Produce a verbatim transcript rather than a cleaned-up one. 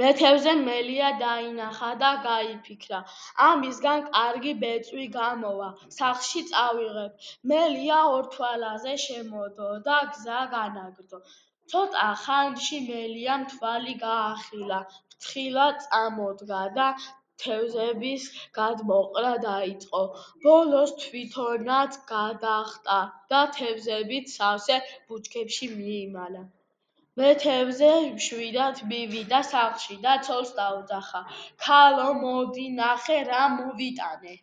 მეთევზემ მელია დაინახა და გაიფიქრა, ამისგან კარგი ბეწვი გამოვა, სახლში წავიღებ. მელია ორთვალაზე შემოდო და გზა განაგრძო. ცოტა ხანში მელიამ თვალი გაახილა, ფრთხილად წამოდგა და თევზების გადმოყრა დაიწყო. ბოლოს თვითონაც გადახტა და თევზებით სავსე ბუჩქებში მიიმალა. მეთევზე მშვიდად მივიდა სახლში და ცოლს დაუძახა: ქალო, მოდი, ნახე, რა მოვიტანე.